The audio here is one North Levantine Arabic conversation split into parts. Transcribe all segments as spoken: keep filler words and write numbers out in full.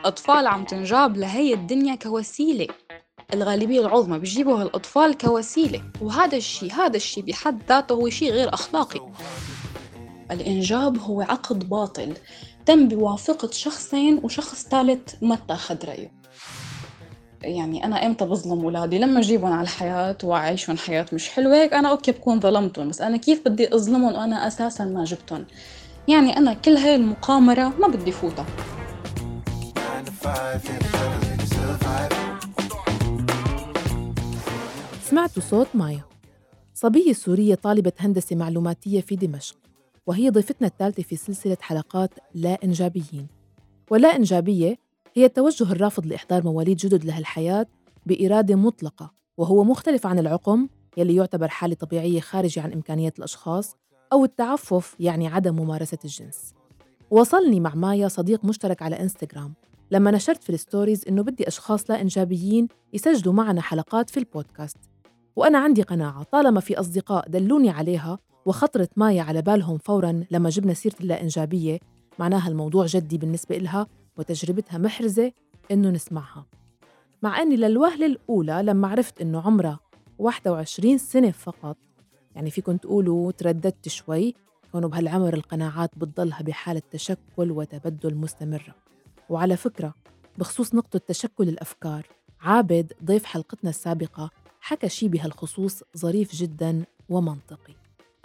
الأطفال عم تنجاب لهي الدنيا كوسيلة. الغالبية العظمى بيجيبوا هالأطفال كوسيلة، وهذا الشيء هذا الشيء بحد ذاته هو شيء غير أخلاقي. الإنجاب هو عقد باطل تم بوافقة شخصين وشخص ثالث ما اتاخد رأيه. يعني أنا إمتى بظلم أولادي؟ لما أجيبهم على الحياة وأعيشهم حياة مش حلوة، هيك أنا أوكي بكون ظلمتهم، بس أنا كيف بدي أظلمهم وأنا أساساً ما جبتهم؟ يعني أنا كل هاي المقامرة ما بدي فوتها. سمعتوا صوت مايا، صبية سورية طالبة هندسة معلوماتية في دمشق، وهي ضيفتنا الثالثة في سلسلة حلقات لا إنجابيين. ولا إنجابية هي التوجه الرافض لإحضار مواليد جدد لهالحياة بإرادة مطلقة، وهو مختلف عن العقم يلي يعتبر حالة طبيعية خارجة عن إمكانيات الأشخاص، أو التعفف يعني عدم ممارسة الجنس. وصلني مع مايا صديق مشترك على إنستغرام لما نشرت في الستوريز إنه بدي أشخاص لا إنجابيين يسجلوا معنا حلقات في البودكاست، وأنا عندي قناعة طالما في أصدقاء دلوني عليها وخطرت مايا على بالهم فوراً لما جبنا سيرة اللا إنجابية، معناها الموضوع جدي بالنسبة إلها وتجربتها محرزة إنه نسمعها. مع أني للوهلة الأولى لما عرفت إنه عمرها واحد وعشرين سنة فقط، يعني فيكن تقولوا ترددت شوي، كونوا بهالعمر القناعات بتضلها بحالة تشكل وتبدل مستمرة. وعلى فكرة بخصوص نقطة تشكل الأفكار، عابد ضيف حلقتنا السابقة حكى شي بهالخصوص ظريف جداً ومنطقي.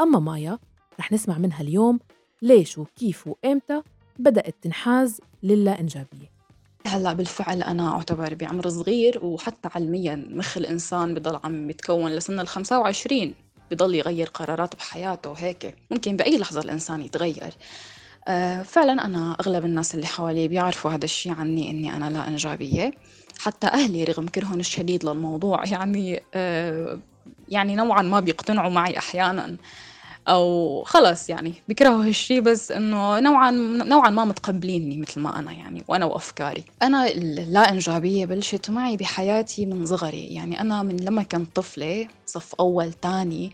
أما مايا رح نسمع منها اليوم ليش وكيف وإمتى بدأت تنحاز للا إنجابية. هلأ بالفعل أنا أعتبر بعمر صغير، وحتى علمياً مخ الإنسان بضل عم بيتكون لسن الخمسة وعشرين، بضل يغير قرارات بحياته، وهيك ممكن بأي لحظة الإنسان يتغير. أه فعلاً أنا أغلب الناس اللي حوالي بيعرفوا هذا الشيء عني، إني أنا لا إنجابية. حتى أهلي رغم كرههم الشديد للموضوع يعني أه يعني نوعاً ما بيقتنعوا معي أحياناً، أو خلص يعني بيكرهوا هالشي، بس إنه نوعاً نوعاً ما متقبليني مثل ما أنا يعني، وأنا وأفكاري. أنا اللا إنجابية بلشت معي بحياتي من صغري، يعني أنا من لما كنت طفلة صف أول تاني،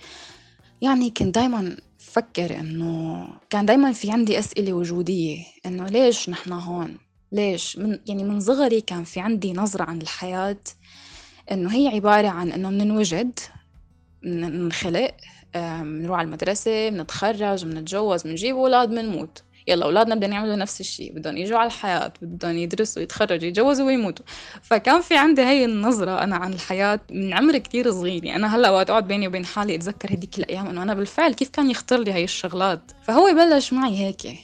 يعني كنت دايماً فكر إنه كان دايماً في عندي أسئلة وجودية، إنه ليش نحن هون؟ ليش؟ من يعني من صغري كان في عندي نظرة عن الحياة إنه هي عبارة عن إنه مننوجد، منخلق، منروح على المدرسة، منتخرج، منتجوز، منجيب أولاد، منموت. يلا أولادنا بدهم يعملوا نفس الشيء، بدهم يجوا على الحياة، بدهم يدرسوا، يتخرجوا، يتجوزوا ويموتوا. فكان في عندي هاي النظرة أنا عن الحياة من عمر كتير صغير. يعني أنا هلأ وقت أقعد بيني وبين حالي أتذكر هديك الأيام إنه أنا بالفعل كيف كان يخطر لي هاي الشغلات. فهو بلش معي هيك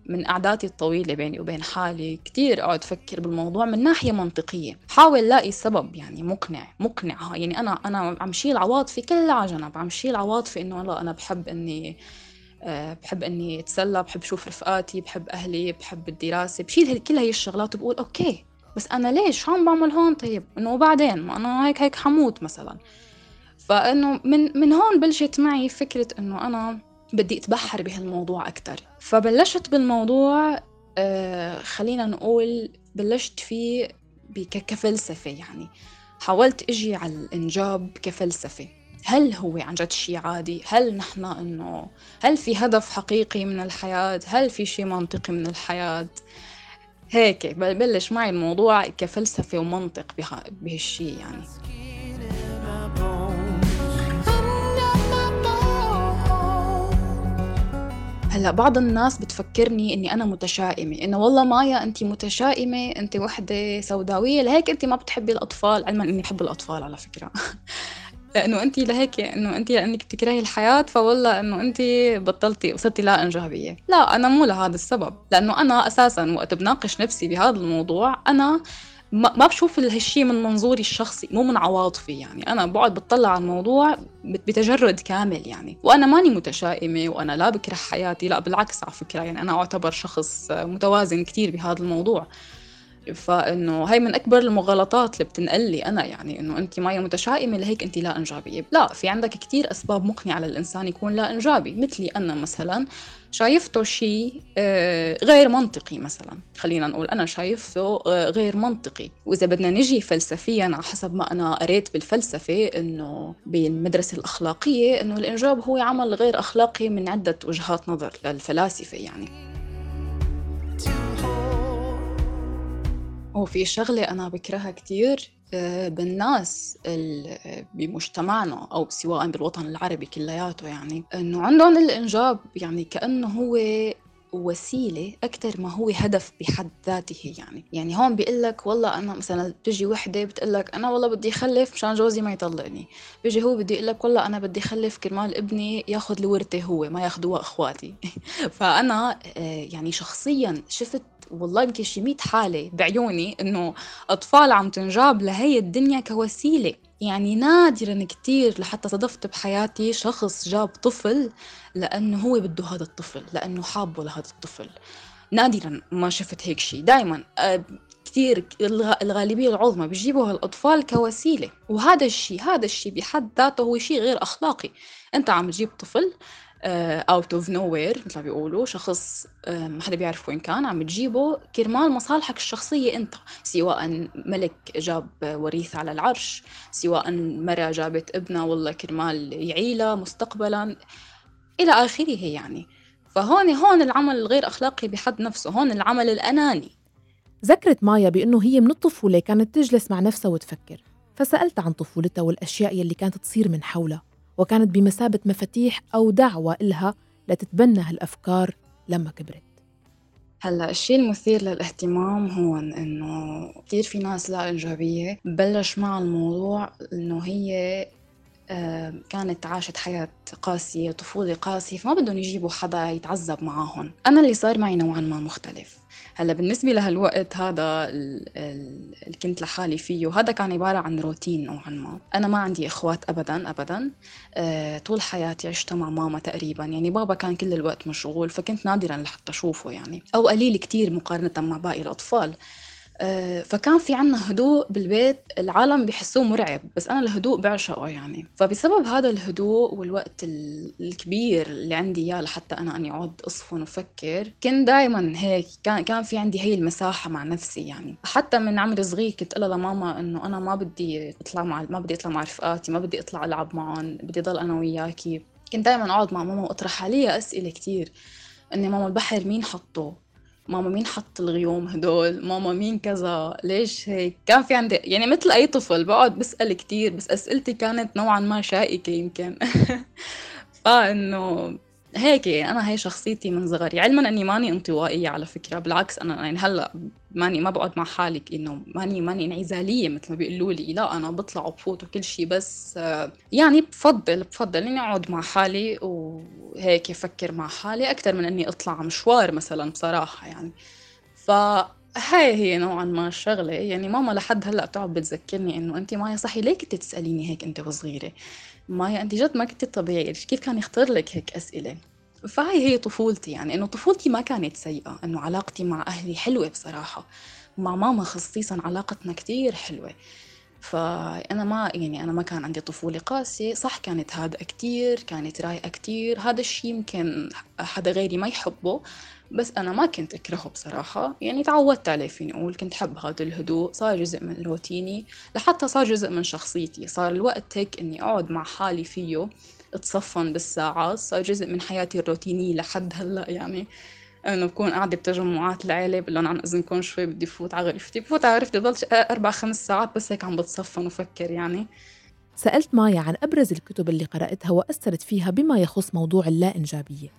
من قعداتي الطويلة بيني وبين حالي كتير أقعد أفكر بالموضوع من ناحية منطقية، حاول لاقي سبب يعني مقنع مقنع يعني أنا أنا عم شيل عواطفي كلها على جنب، عم شيل عواطفي إنه والله أنا بحب إني أه بحب إني أتسلى، بحب شوف رفقاتي، بحب أهلي، بحب الدراسة، بشيل كل هاي الشغلات وبقول أوكي بس أنا ليش شو عم بعمل هون؟ طيب إنه بعدين ما أنا هيك هيك حموت مثلا. فإنه من من هون بلشت معي فكرة إنه أنا بدي أتبحر بهالموضوع أكتر. فبلشت بالموضوع آه خلينا نقول بلشت فيه كفلسفة، يعني حاولت أجي على الإنجاب كفلسفة. هل هو عن جد شيء عادي؟ هل نحن إنه هل في هدف حقيقي من الحياة؟ هل في شيء منطقي من الحياة؟ هيك بلش معي الموضوع كفلسفة ومنطق بهالشيء يعني. هلأ بعض الناس بتفكرني إني أنا متشائمة، إنه والله مايا أنتي متشائمة، أنتي وحدة سوداوية لهيك أنتي ما بتحبي الأطفال. علما إني بحب الأطفال على فكرة لأنه أنتي لهيك إنه أنتي لأنك بتكرهي الحياة فوالله إنه أنتي بطلتي وصرتي لا إنجابية. لا، أنا مو لهذا السبب، لأنه أنا أساساً وقت بناقش نفسي بهذا الموضوع أنا ما بشوف هالشي من منظوري الشخصي، مو من عواطفي. يعني أنا بقعد بتطلع على الموضوع بتجرد كامل يعني. وأنا ماني متشائمة وأنا لا بكره حياتي، لا بالعكس على فكرة، يعني أنا أعتبر شخص متوازن كتير بهذا الموضوع. فإنه هاي من أكبر المغالطات اللي بتنقلي أنا، يعني إنه أنت مايا متشائمة لهيك أنت لا إنجابية. لا، في عندك كتير أسباب مقنعة للإنسان يكون لا إنجابي. مثلي أنا مثلا شايفته شيء غير منطقي، مثلا خلينا نقول أنا شايفته غير منطقي. وإذا بدنا نجي فلسفيا على حسب ما أنا قريت بالفلسفة إنه بالمدرسة الأخلاقية إنه الإنجاب هو عمل غير أخلاقي من عدة وجهات نظر للفلاسفة يعني. هو في شغلة أنا بكرهها كتير آه، بالناس ال- بمجتمعنا أو سواء بالوطن العربي كلياته، يعني إنه عندهم الإنجاب يعني كأنه هو وسيلة أكتر ما هو هدف بحد ذاته. يعني يعني هون بيقلك والله أنا مثلا تجي وحدة بتقلك أنا والله بدي أخلف مشان جوزي ما يطلقني، بيجي هو بدي يقلك والله أنا بدي أخلف كرمال ابني ياخد الورثة هو ما ياخدوها إخواتي. فأنا آه، يعني شخصيا شفت والله يمكن شي مية حالة بعيوني إنه أطفال عم تنجاب لهي الدنيا كوسيلة. يعني نادراً كتير لحتى صدفت بحياتي شخص جاب طفل لأنه هو بده هذا الطفل، لأنه حابه لهذا الطفل. نادراً ما شفت هيك شي. دايماً آه، كتير الغ- الغالبية العظمى بيجيبوا هالأطفال كوسيلة، وهذا الشي هذا الشي بحد ذاته هو شي غير أخلاقي. أنت عم تجيب طفل آه، out of nowhere مثل ما بيقولوا، شخص آه، ما حدا بيعرف وين كان، عم تجيبه كرمال مصالحك الشخصية أنت، سواء ملك جاب وريث على العرش، سواء مرة جابت ابنها والله كرمال يعيلها مستقبلا إلى آخره يعني. فهون هون العمل الغير أخلاقي بحد نفسه، هون العمل الأناني. ذكرت مايا بأنه هي من الطفولة كانت تجلس مع نفسها وتفكر، فسألت عن طفولتها والأشياء يلي كانت تصير من حولها، وكانت بمثابة مفاتيح أو دعوة إلها لتتبنى هالأفكار لما كبرت. هلا الشيء المثير للاهتمام هون انه كثير في ناس لا انجابيه بلش مع الموضوع انه هي آه، كانت عاشت حياة قاسية، طفولة قاسية، فما بدهم يجيبوا حدا يتعذب معاهم. أنا اللي صار معي نوعا ما مختلف. هلا بالنسبة لهالوقت هذا اللي كنت لحالي فيه، هذا كان عبارة عن روتين نوعا ما. أنا ما عندي إخوات أبدا أبدا. أه طول حياتي عشت مع ماما تقريبا، يعني بابا كان كل الوقت مشغول فكنت نادرا لحتى أشوفه يعني، أو قليل كتير مقارنة مع باقي الأطفال. آه، فكان في عنا هدوء بالبيت العالم بيحسوه مرعب، بس أنا الهدوء بعشقه يعني. فبسبب هذا الهدوء والوقت ال- الكبير اللي عندي إياه لحتى أنا أني أقعد أصفن وفكر، كنت دايما هيك كان كان في عندي هي المساحة مع نفسي يعني. حتى من عمر صغير كنت أقول لماما إنه أنا ما بدي أطلع مع ما بدي أطلع مع رفقاتي، ما بدي أطلع ألعب معهم، بدي ضل أنا وياكي. كنت دايما أقعد مع ماما وأطرح عليها أسئلة كتير، إني ماما البحر مين حطه، ماما مين حط الغيوم هدول، ماما مين كذا، ليش هيك. كان في عندي يعني مثل أي طفل بقعد بسأل كتير، بس أسئلتي كانت نوعا ما شائكة يمكن. فإنه هيك أنا هي شخصيتي من صغري، علما أني ماني انطوائية على فكرة، بالعكس أنا يعني هلأ ماني ما بقعد مع حالي إنه ماني ماني انعزالية مثل ما بيقولوا لي، لا أنا بطلع وبفوت وكل شيء، بس آه، يعني بفضل بفضل إني أقعد مع حالي وهيك أفكر مع حالي أكثر من إني أطلع مشوار مثلا بصراحة يعني. فهاي هي نوعا ما الشغلة. يعني ماما لحد هلأ بتقعد بتذكرني إنه أنت مايا صحي ليه كنت تسأليني هيك أنت وصغيرة، مايا أنت جد ما كنت طبيعية، كيف كان يخطر لك هيك أسئلة. فهاي هي طفولتي، يعني إنه طفولتي ما كانت سيئة، إنه علاقتي مع أهلي حلوة بصراحة، ومع ماما خصيصا علاقتنا كتير حلوة. فأنا ما يعني أنا ما كان عندي طفولة قاسية، صح كانت هادئة كتير، كانت رايقة كتير، هذا الشي يمكن حدا غيري ما يحبه، بس أنا ما كنت أكرهه بصراحة، يعني تعودت عليه فيني أقول، كنت حب هذا الهدوء، صار جزء من روتيني لحتى صار جزء من شخصيتي، صار الوقت هيك إني أقعد مع حالي فيه اتصفن بالساعات، صار جزء من حياتي الروتينية لحد هلأ يعني. انه بكون قاعده بتجمعات العيله بقول لهم عن اذنكم شوي بدي فوت على غرفتي، بفوت على غرفتي ضل اربع خمس ساعات بس هيك عم بتصفن وفكر يعني. سألت مايا عن أبرز الكتب اللي قرأتها وأثرت فيها بما يخص موضوع اللا إنجابية.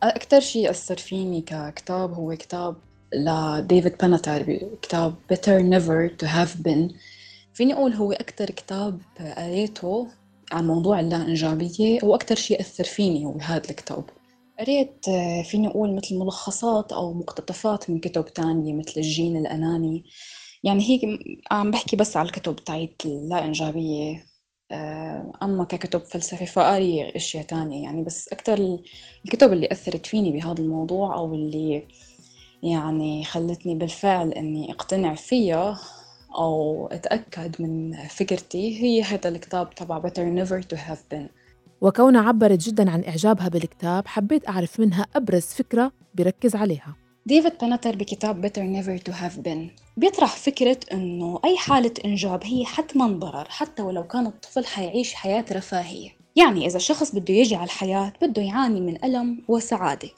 اكثر شيء اثر فيني ككتاب هو كتاب لديفيد باناتار، كتاب Better Never to Have Been. فيني اقول هو اكثر كتاب قريته عن موضوع اللا انجابيه، واكثر شيء اثر فيني هو هذا الكتاب. قريت آه، فيني أقول مثل ملخصات أو مقتطفات من كتب تانية مثل الجين الأناني. يعني هيك م- عم بحكي بس على الكتب تاعت اللا إنجابية. آه، أما ككتب فلسفة فقاري أشياء تانية يعني، بس أكتر ال- الكتب اللي أثرت فيني بهذا الموضوع أو اللي يعني خلتني بالفعل إني أقتنع فيها أو أتأكد من فكرتي هي هذا الكتاب تبع Better Never to Have Been. وكونها عبرت جداً عن إعجابها بالكتاب، حبيت أعرف منها أبرز فكرة بركز عليها. ديفيد بانتر بكتاب Better Never to Have Been بيطرح فكرة إنه أي حالة إنجاب هي حتماً ضرر، حتى ولو كان الطفل حيعيش حياة رفاهية. يعني إذا شخص بده يجي على الحياة بده يعاني من ألم وسعادة،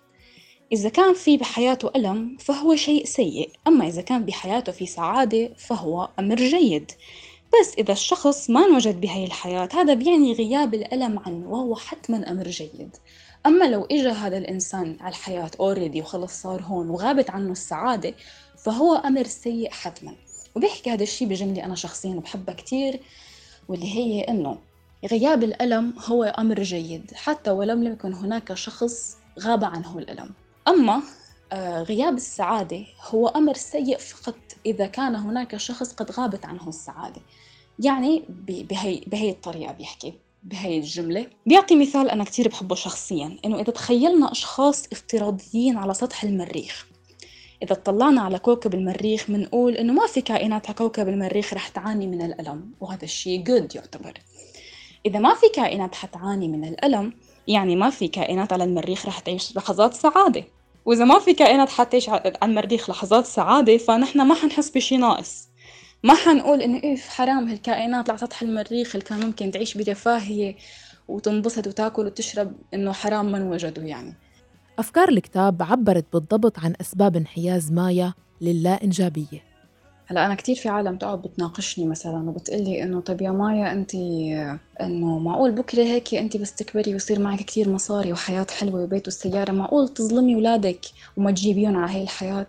إذا كان في بحياته ألم فهو شيء سيء، أما إذا كان بحياته في سعادة فهو أمر جيد. بس إذا الشخص ما انوجد بهاي الحياة هذا بيعني غياب الألم عنه، وهو حتماً أمر جيد. أما لو إجا هذا الإنسان على الحياة already وخلص صار هون وغابت عنه السعادة فهو أمر سيء حتماً. وبيحكي هذا الشيء بجملة أنا شخصياً بحبها كتير، واللي هي إنه غياب الألم هو أمر جيد حتى ولم يكن هناك شخص غاب عنه الألم. أما آه، غياب السعادة هو أمر سيء فقط إذا كان هناك شخص قد غابت عنه السعادة. يعني ب- بهي, بهي الطريقة بيحكي بهي الجملة. بيعطي مثال أنا كتير بحبه شخصياً، إنه إذا تخيلنا أشخاص افتراضيين على سطح المريخ، إذا اطلعنا على كوكب المريخ منقول إنه ما في كائنات على كوكب المريخ رح تعاني من الألم، وهذا الشيء good يعتبر. إذا ما في كائنات حتعاني من الألم يعني ما في كائنات على المريخ رح تعيش لحظات سعادة، وإذا ما في كائنات حتعيش على المريخ لحظات سعادة فنحن ما حنحس بشي ناقص. ما حنقول إنه إيه حرام هالكائنات على سطح المريخ اللي كان ممكن تعيش برفاهية وتنبسط وتاكل وتشرب إنه حرام من وجدوا يعني. أفكار الكتاب عبرت بالضبط عن أسباب انحياز مايا للا إنجابية. هلا أنا كتير في عالم تقعد بتناقشني مثلا وبتقلي إنه طب يا مايا أنت إنه معقول بكرة هيك أنت بس تكبري ويصير معك كتير مصاري وحياة حلوة وبيت والسيارة، معقول تظلمي ولادك وما تجيبيهم على هاي الحياة؟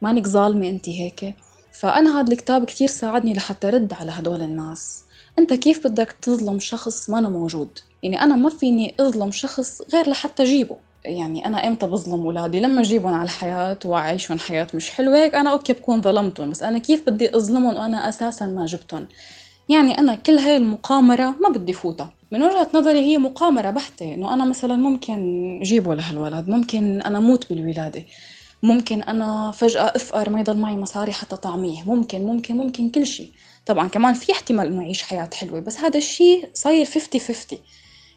مانك ظالمة أنت هيك؟ فأنا هذا الكتاب كتير ساعدني لحتى رد على هدول الناس. أنت كيف بدك تظلم شخص ما موجود؟ يعني أنا ما فيني أظلم شخص غير لحتى أجيبه. يعني أنا إمتى بظلم أولادي؟ لما أجيبهم على الحياة وأعيشهم حياة مش حلوة هيك أنا أوكي بكون ظلمتهم، بس أنا كيف بدي أظلمهم وأنا أساساً ما جبتهم؟ يعني أنا كل هاي المقامرة ما بدي فوتها. من وجهة نظري هي مقامرة بحتة، إنه أنا مثلاً ممكن جيبه لهالولد، ممكن أنا موت بالولادة، ممكن أنا فجأة أفقر ما يضل معي مصاري حتى طعميه، ممكن ممكن ممكن كل شيء. طبعاً كمان في احتمال إنه أعيش حياة حلوة، بس هذا الشيء صاير خمسين خمسين.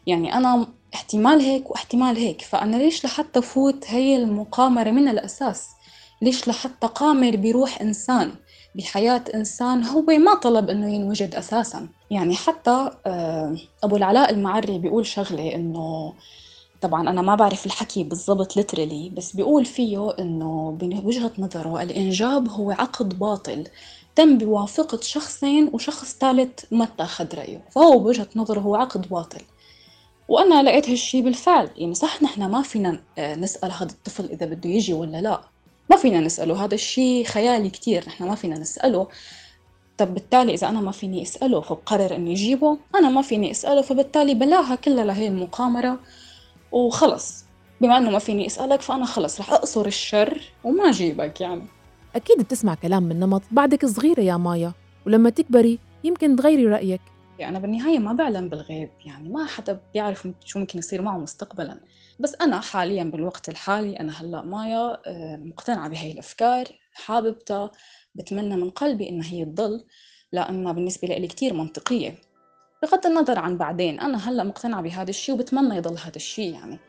يعني أنا احتمال هيك واحتمال هيك، فأنا ليش لحتى فوت هي المقامرة من الأساس؟ ليش لحتى قامر بروح إنسان بحياة إنسان هو ما طلب إنه ينوجد أساساً؟ يعني حتى أبو العلاء المعري بيقول شغلة إنه طبعاً أنا ما بعرف الحكي بالضبط literally، بس بيقول فيه إنه بوجهة نظره الإنجاب هو عقد باطل تم بوافقة شخصين وشخص ثالث ما اتخذ رأيه، فهو بوجهة نظره هو عقد باطل. وأنا لقيت هالشي بالفعل. يعني صح نحن ما فينا نسأل هذا الطفل إذا بده يجي ولا لا، ما فينا نسأله، هذا الشي خيالي كتير، نحن ما فينا نسأله. طب بالتالي إذا أنا ما فيني أسأله فبقرر إني أجيبه، أنا ما فيني أسأله فبالتالي بلاها كلها لهي المقامرة وخلص. بما أنه ما فيني أسألك فأنا خلص رح أقصر الشر وما أجيبك يعني. أكيد بتسمع كلام من نمط بعدك صغيرة يا مايا، ولما تكبري يمكن تغيري رأيك. يعني أنا بالنهاية ما بعلم بالغيب، يعني ما حدا بيعرف شو ممكن يصير معه مستقبلاً. بس أنا حالياً بالوقت الحالي أنا هلأ مايا مقتنعة بهاي الأفكار، حاببتها، بتمنى من قلبي إنها هي تضل، لأنها بالنسبة لي كتير منطقية بغض النظر عن بعدين. أنا هلأ مقتنعة بهذا الشيء وبتمنى يضل هذا الشيء يعني.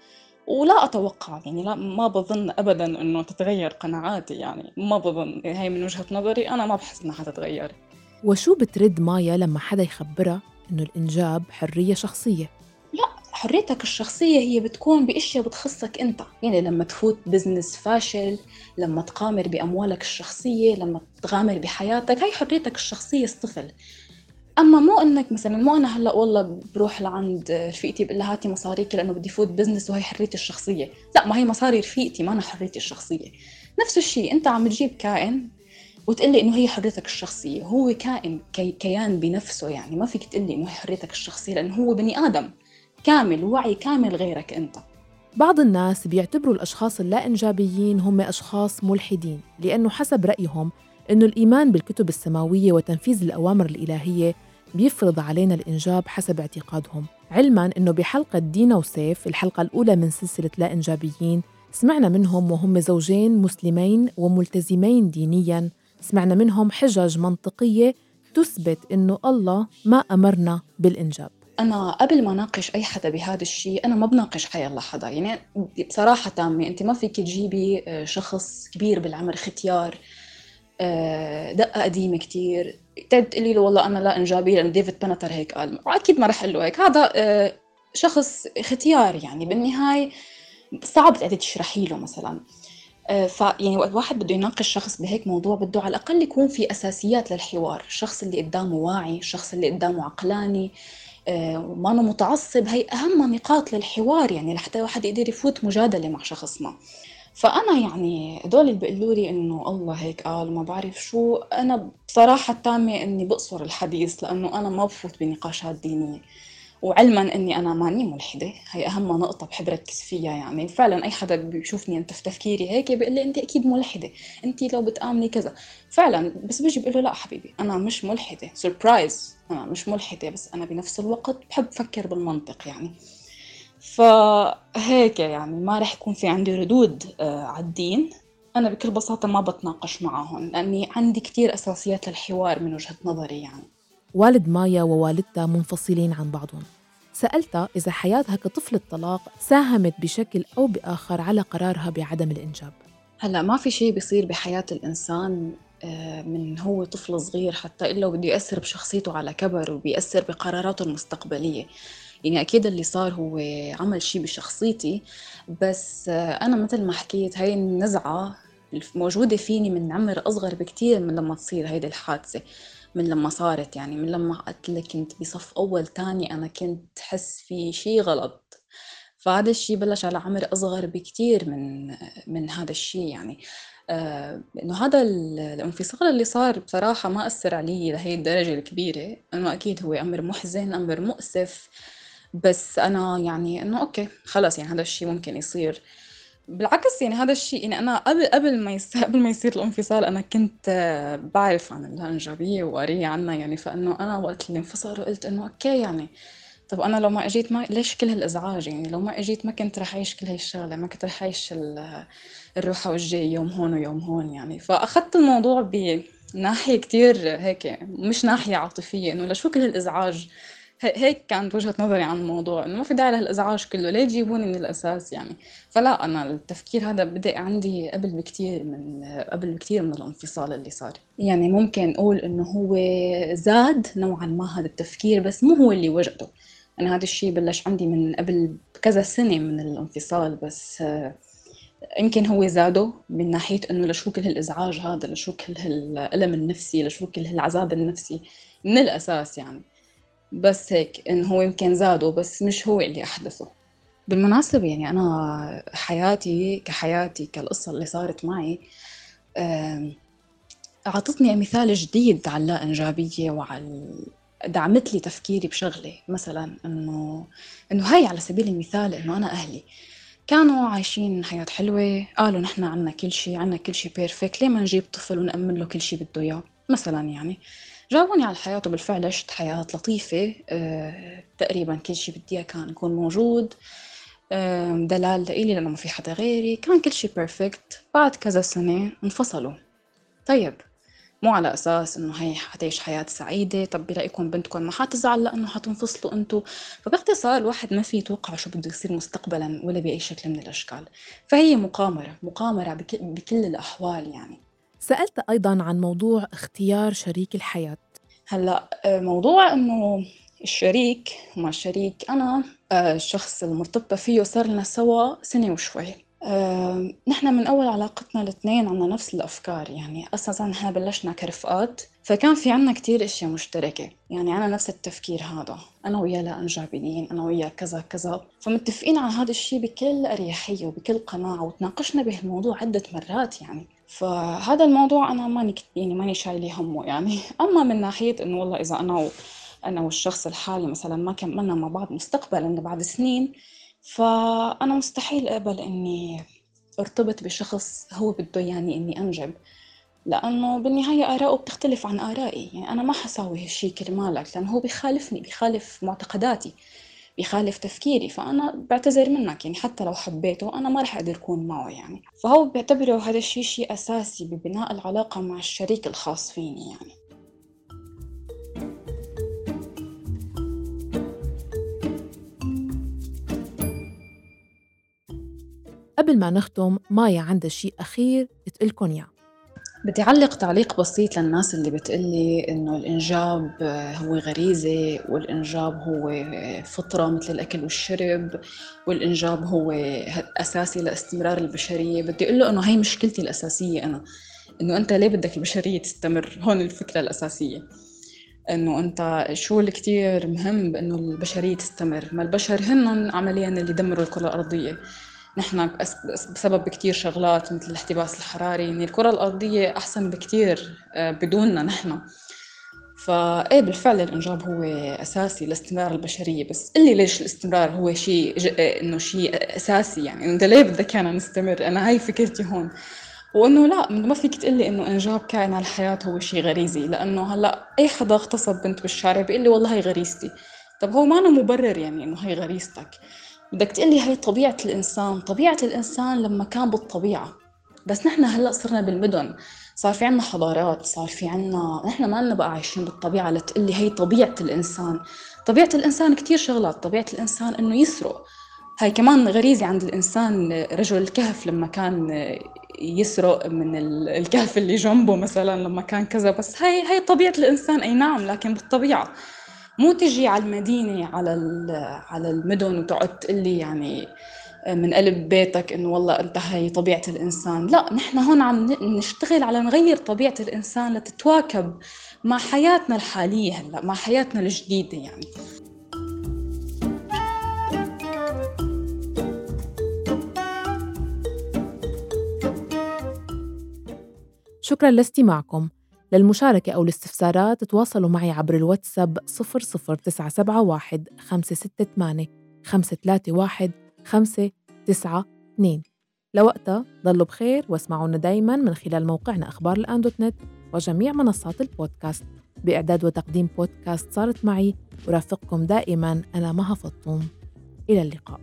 ولا أتوقع يعني لا ما بظن أبداً إنه تتغير قناعاتي، يعني ما بظن، هاي من وجهة نظري أنا ما بحس إنها حتتغير. وشو بترد مايا لما حدا يخبرها إنه الإنجاب حرية شخصية؟ لا، حريتك الشخصية هي بتكون بأشياء بتخصك أنت. يعني لما تفوت بزنس فاشل، لما تقامر بأموالك الشخصية، لما تغامر بحياتك، هاي حريتك الشخصية الطفل. أما مو إنك مثلاً مو أنا هلأ والله بروح لعند رفيقتي بقول لها هاتي مصاريك لأنه بدي فوت بزنس وهي حريتي الشخصية. لا، ما هي مصاري رفيقتي ما أنا حريتي الشخصية. نفس الشيء أنت عم تجيب كائن وتقلي إنه هي حريتك الشخصية، هو كائن كي كيان بنفسه، يعني ما فيك تقلي إنه هي حريتك الشخصية لأنه هو بني آدم كامل وعي كامل غيرك أنت. بعض الناس بيعتبروا الأشخاص اللا إنجابيين هم أشخاص ملحدين، لأنه حسب رأيهم إنه الإيمان بالكتب السماوية وتنفيذ الأوامر الإلهية بيفرض علينا الإنجاب حسب اعتقادهم. علماً إنه بحلقة دينا وسيف الحلقة الأولى من سلسلة لا إنجابيين سمعنا منهم وهم زوجين مسلمين وملتزمين دينياً، سمعنا منهم حجج منطقية تثبت إنه الله ما أمرنا بالإنجاب. أنا قبل ما ناقش أي حدا بهذا الشيء أنا ما بناقش حيالله حدا، يعني بصراحة تامة أنت ما فيك تجيبي شخص كبير بالعمر ختيار دقة قديمة كتير تقولي له والله أنا لا إنجابي لأن ديفيد بنتر هيك قال، وأكيد ما رح أقول له هيك. هذا شخص ختيار يعني بالنهاية صعب تقدري تشرحي له مثلاً. آه، فيعني وقت واحد بده يناقش شخص بهيك موضوع بده على الأقل يكون في أساسيات للحوار، الشخص اللي قدامه واعي، الشخص اللي قدامه عقلاني، آه، وما أنا متعصب. هي أهم نقاط للحوار يعني لحتى واحد يقدر يفوت مجادلة مع شخص ما. فأنا يعني دول اللي بيقولوا لي إنه الله هيك قال وما بعرف شو، أنا بصراحة تامة إني بقصر الحديث، لأنه أنا ما بفوت بنقاشات دينية. وعلما إني أنا ماني ملحدة، هي أهم نقطة بحب ركز فيها. يعني فعلا أي حدا بيشوفني أنت في تفكيري هيك بيقول لي أنت أكيد ملحدة، أنت لو بتآمني كذا فعلا، بس بيجي بقول له لا حبيبي أنا مش ملحدة، سربرايز أنا مش ملحدة، بس أنا بنفس الوقت بحب أفكر بالمنطق يعني. فهيك يعني ما رح يكون في عندي ردود آه على الدين. أنا بكل بساطة ما بتناقش معهم لأني عندي كتير أساسيات للحوار من وجهة نظري يعني. والد مايا ووالدتها منفصلين عن بعضهم. سألتها إذا حياتها كطفل الطلاق ساهمت بشكل أو بآخر على قرارها بعدم الإنجاب. هلأ ما في شيء بيصير بحياة الإنسان آه، من هو طفل صغير حتى إلا وبده يأثر بشخصيته على كبر وبيأثر بقراراته المستقبلية. يعني أكيد اللي صار هو عمل شيء بشخصيتي، بس آه، أنا مثل ما حكيت هاي النزعة موجودة فيني من عمر أصغر بكتير من لما تصير هيدي الحادثة، من لما صارت. يعني من لما قلت لك كنت بصف أول تاني أنا كنت حس في شيء غلط. فهذا الشيء بلش على عمر أصغر بكتير من من هذا الشيء يعني. آه إنه هذا الانفصال اللي صار بصراحة ما أثر علي لهي الدرجة الكبيرة، إنه أكيد هو أمر محزن أمر مؤسف، بس أنا يعني إنه أوكي خلاص يعني هذا الشيء ممكن يصير. بالعكس يعني هذا الشيء يعني أنا قبل قبل ما يصير قبل ما يصير الانفصال أنا كنت آه، بعرف عن اللاإنجابية وقارية عنها يعني. فإنه أنا وقت اللي انفصلوا قلت إنه أوكي يعني طب أنا لو ما إجيت ما ليش كل هالإزعاج يعني، لو ما إجيت ما كنت رح أعيش كل هاي الشغلة، ما كنت رح أعيش ال- الروحة والجاي يوم هون ويوم هون يعني. فأخذت الموضوع بناحية كتير هيك مش ناحية عاطفية، إنه لشو كل هالإزعاج. هي- هيك كانت وجهة نظري عن الموضوع، إنه ما في داعي لهالإزعاج كله، ليه تجيبوني من الأساس يعني. فلا أنا التفكير هذا بدأ عندي قبل بكتير من قبل بكتير من الانفصال اللي صار. يعني ممكن نقول إنه هو زاد نوعا ما هذا التفكير، بس مو هو اللي وجدته. أنا هذا الشيء بلش عندي من قبل كذا سنة من الانفصال، بس آه، يمكن هو زاده من ناحية إنه لشو كل هالإزعاج هذا، لشو كل هالألم النفسي، لشو كل هالعذاب النفسي من الأساس يعني. بس هيك إنه هو يمكن زاده بس مش هو اللي أحدثه. بالمناسبة يعني أنا حياتي كحياتي كالقصة اللي صارت معي آم، أعطتني مثال جديد على اللا إنجابية وعلى دعمت لي تفكيري بشغلة. مثلا إنه إنه هاي على سبيل المثال إنه أنا أهلي كانوا عايشين حياة حلوة، قالوا نحن عنا كل شيء، عنا كل شيء بيرفكت، ليه ما نجيب طفل ونأمن له كل شيء بده إياه مثلا يعني. جاوبوني على الحياة وبالفعل عشت حياة لطيفة. أه تقريبا كل شيء بدي إياه كان يكون موجود. أه دلال لإلي لأنه ما في حدا غيري، كان كل شيء بيرفكت. بعد كذا سنة انفصلوا. طيب مو على أساس إنه هي حتعيش حياة سعيدة، طب برأيكم بنتكم ما حتزعل لأنه حتنفصلوا أنتوا؟ فباختصار الواحد ما في يتوقع شو بده يصير مستقبلا ولا بأي شكل من الأشكال. فهي مقامرة مقامرة بك بكل الأحوال يعني. سألت أيضاً عن موضوع اختيار شريك الحياة. هلا آه، موضوع إنه الشريك وما الشريك، أنا آه، الشخص المرتبطة فيه صار لنا سوا سنة وشوي. آه، نحن من أول علاقتنا الاثنين عنا نفس الأفكار، يعني أساساً نحن بلشنا كرفقات، فكان في عنا كتير أشياء مشتركة. يعني أنا نفس التفكير هذا، أنا وياه لا إنجابيين، أنا وياه كذا كذا، فمتفقين على هذا الشيء بكل أريحية وبكل قناعة، وتناقشنا بهالموضوع عدة مرات يعني. فهذا الموضوع أنا ماني كت- يعني ماني شايلة همه يعني. أما من ناحية إنه والله إذا أنا و... أنا والشخص الحالي مثلا ما كملنا مع بعض مستقبلا بعد سنين، فأنا مستحيل أقبل إني ارتبط بشخص هو بده يعني إني أنجب، لأنه بالنهاية آراءه بتختلف عن آرائي. يعني أنا ما حساوي هالشي كرمالك، لأنه هو بيخالفني، بيخالف معتقداتي، بيخالف تفكيري، فأنا بعتذر منك يعني. حتى لو حبيته أنا ما رح أقدر أكون معه يعني. فهو بيعتبره هذا الشيء شيء أساسي ببناء العلاقة مع الشريك الخاص فيني يعني. قبل ما نختم، مايا عندها شيء أخير تقلكن إياه. بدي أعلق تعليق بسيط للناس اللي بتقلي إنه الإنجاب هو غريزة، والإنجاب هو فطرة مثل الأكل والشرب، والإنجاب هو أساسي لاستمرار البشرية. بدي أقول له إنه هاي مشكلتي الأساسية أنا، إنه أنت ليه بدك البشرية تستمر؟ هون الفكرة الأساسية، إنه أنت شو اللي كتير مهم بإنه البشرية تستمر؟ ما البشر هن عملياً اللي دمروا الكرة الأرضية. نحن بسبب كتير شغلات مثل الاحتباس الحراري، يعني الكرة الأرضية أحسن بكتير بدوننا نحن. فإيه بالفعل الإنجاب هو أساسي لاستمرار البشرية، بس اللي ليش الاستمرار هو شيء إنه شيء أساسي، يعني أنت ليه بدك أنا نستمر؟ أنا هاي فكرتي هون، وإنه لا ما فيك تقلي إنه إنجاب كائن الحياة هو شيء غريزي، لأنه هلأ أي حدا اغتصب بنت بالشارع بيقول لي والله هي غريزتي. طب هو ما أنا مبرر يعني إنه هي غريزتك، بدك تقلي هاي طبيعة الإنسان. طبيعة الإنسان لما كان بالطبيعة، بس نحن هلأ صرنا بالمدن، صار في عنا حضارات، صار في عنا، نحن ما لنا بقى عايشين بالطبيعة لتقلي هاي طبيعة الإنسان. طبيعة الإنسان كتير شغلات، طبيعة الإنسان إنه يسرق، هاي كمان غريزة عند الإنسان. رجل الكهف لما كان يسرق من الكهف اللي جنبه مثلا لما كان كذا، بس هاي هاي طبيعة الإنسان أي نعم، لكن بالطبيعة. مو تجي على المدينة على على المدن وتقعد تقلي يعني من قلب بيتك إنه والله أنت هاي طبيعة الإنسان. لا، نحن هون عم نشتغل على نغير طبيعة الإنسان لتتواكب مع حياتنا الحالية هلا، مع حياتنا الجديدة يعني. شكراً لاستماعكم. للمشاركة أو الاستفسارات تواصلوا معي عبر الواتساب صفر صفر تسعة سبعة واحد خمسة ستة ثمانية خمسة ثلاثة واحد خمسة تسعة اثنين. لوقتها ضلوا بخير واسمعونا دايماً من خلال موقعنا أخبار الآن دوت نت وجميع منصات البودكاست. بإعداد وتقديم بودكاست صارت معي ورافقكم دائماً أنا مها فطوم. إلى اللقاء.